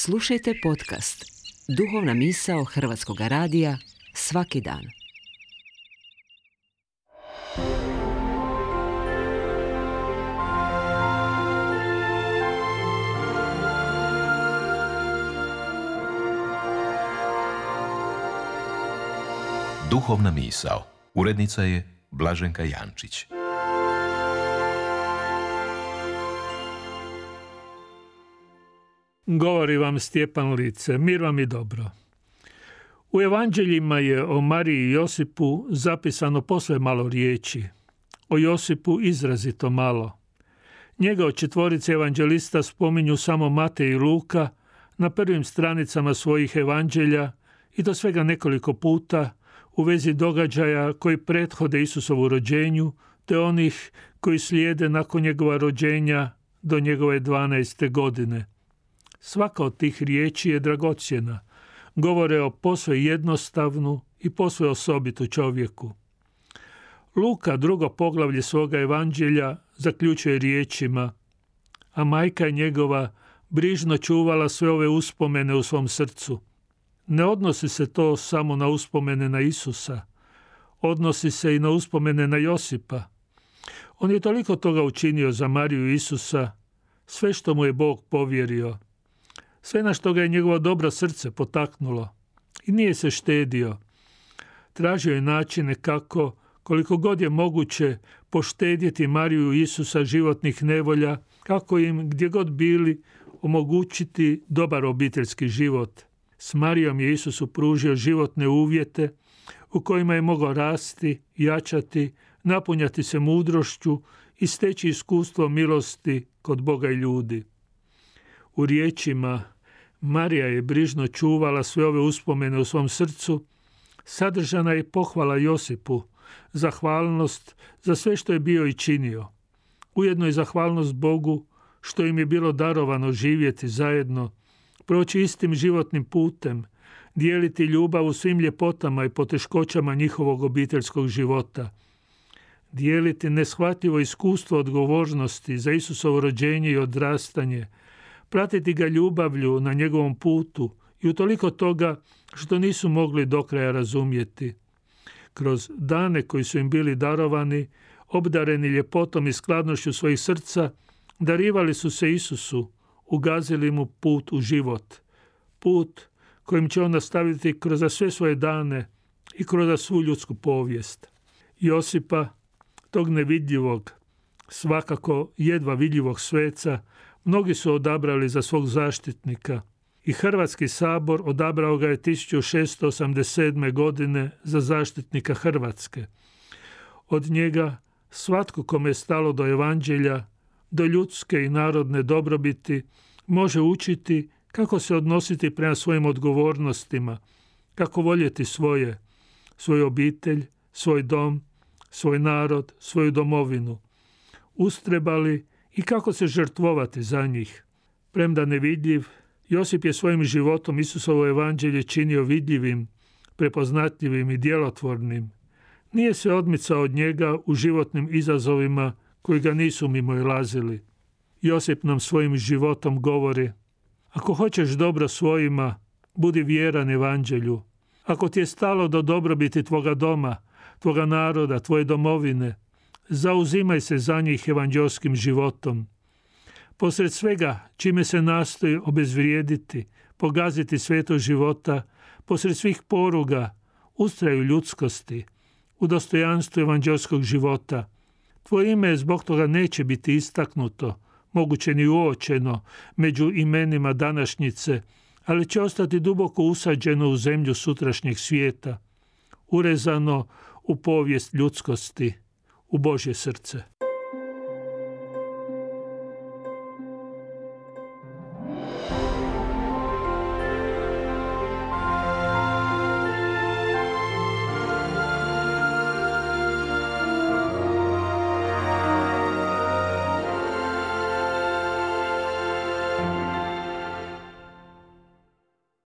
Slušajte podcast Duhovna misao Hrvatskog radija svaki dan. Duhovna misao. Urednica je Blaženka Jančić. Govori vam Stjepan Lice, mir vam i dobro. U evanđeljima je o Mariji i Josipu zapisano posve malo riječi, o Josipu izrazito malo. Njega od četvorice evanđelista spominju samo Matej i Luka na prvim stranicama svojih evanđelja i to svega nekoliko puta u vezi događaja koji prethode Isusovu rođenju te onih koji slijede nakon njegova rođenja do njegove 12. godine. Svaka od tih riječi je dragocjena, govore o posve jednostavnu i posve osobitu čovjeku. Luka, drugo poglavlje svoga evanđelja, zaključuje riječima: a majka je njegova brižno čuvala sve ove uspomene u svom srcu. Ne odnosi se to samo na uspomene na Isusa, odnosi se i na uspomene na Josipa. On je toliko toga učinio za Mariju i Isusa, sve što mu je Bog povjerio, sve na što ga je njegovo dobro srce potaknulo, i nije se štedio. Tražio je načine kako, koliko god je moguće, poštedjeti Mariju i Isusa životnih nevolja, kako im, gdje god bili, omogućiti dobar obiteljski život. S Marijom je Isusu pružio životne uvjete u kojima je mogao rasti, jačati, napunjati se mudrošću i steći iskustvo milosti kod Boga i ljudi. U riječima Marija je brižno čuvala sve ove uspomene u svom srcu, sadržana je pohvala Josipu, zahvalnost za sve što je bio i činio. Ujedno i zahvalnost Bogu što im je bilo darovano živjeti zajedno, proći istim životnim putem, dijeliti ljubav u svim ljepotama i poteškoćama njihovog obiteljskog života, dijeliti neshvatljivo iskustvo odgovornosti za Isusovo rođenje i odrastanje, pratiti ga ljubavlju na njegovom putu i utoliko toga što nisu mogli do kraja razumjeti. Kroz dane koji su im bili darovani, obdareni ljepotom i skladnošću svojih srca, darivali su se Isusu, ugazili mu put u život. Put kojim će on nastaviti kroz sve svoje dane i kroz svu ljudsku povijest. Josipa, tog nevidljivog, svakako jedva vidljivog sveca, mnogi su odabrali za svog zaštitnika i Hrvatski sabor odabrao ga je 1687. godine za zaštitnika Hrvatske. Od njega svatko kome je stalo do evanđelja, do ljudske i narodne dobrobiti, može učiti kako se odnositi prema svojim odgovornostima, kako voljeti svoju obitelj, svoj dom, svoj narod, svoju domovinu. Ustrebali i kako se žrtvovati za njih. Premda nevidljiv, Josip je svojim životom Isusovo evanđelje činio vidljivim, prepoznatljivim i djelotvornim. Nije se odmicao od njega u životnim izazovima koji ga nisu mimoilazili. Josip nam svojim životom govori: ako hoćeš dobro svojima, budi vjeran evanđelju. Ako ti je stalo do dobrobiti tvoga doma, tvoga naroda, tvoje domovine, zauzimaj se za njih evanđelskim životom. Posred svega čime se nastoji obezvrijediti, pogaziti sveto života, posred svih poruga, ustraju ljudskosti, u dostojanstvu evanđelskog života. Tvoje ime zbog toga neće biti istaknuto, moguće ni uočeno među imenima današnjice, ali će ostati duboko usađeno u zemlju sutrašnjeg svijeta, urezano u povijest ljudskosti, u Božje srce.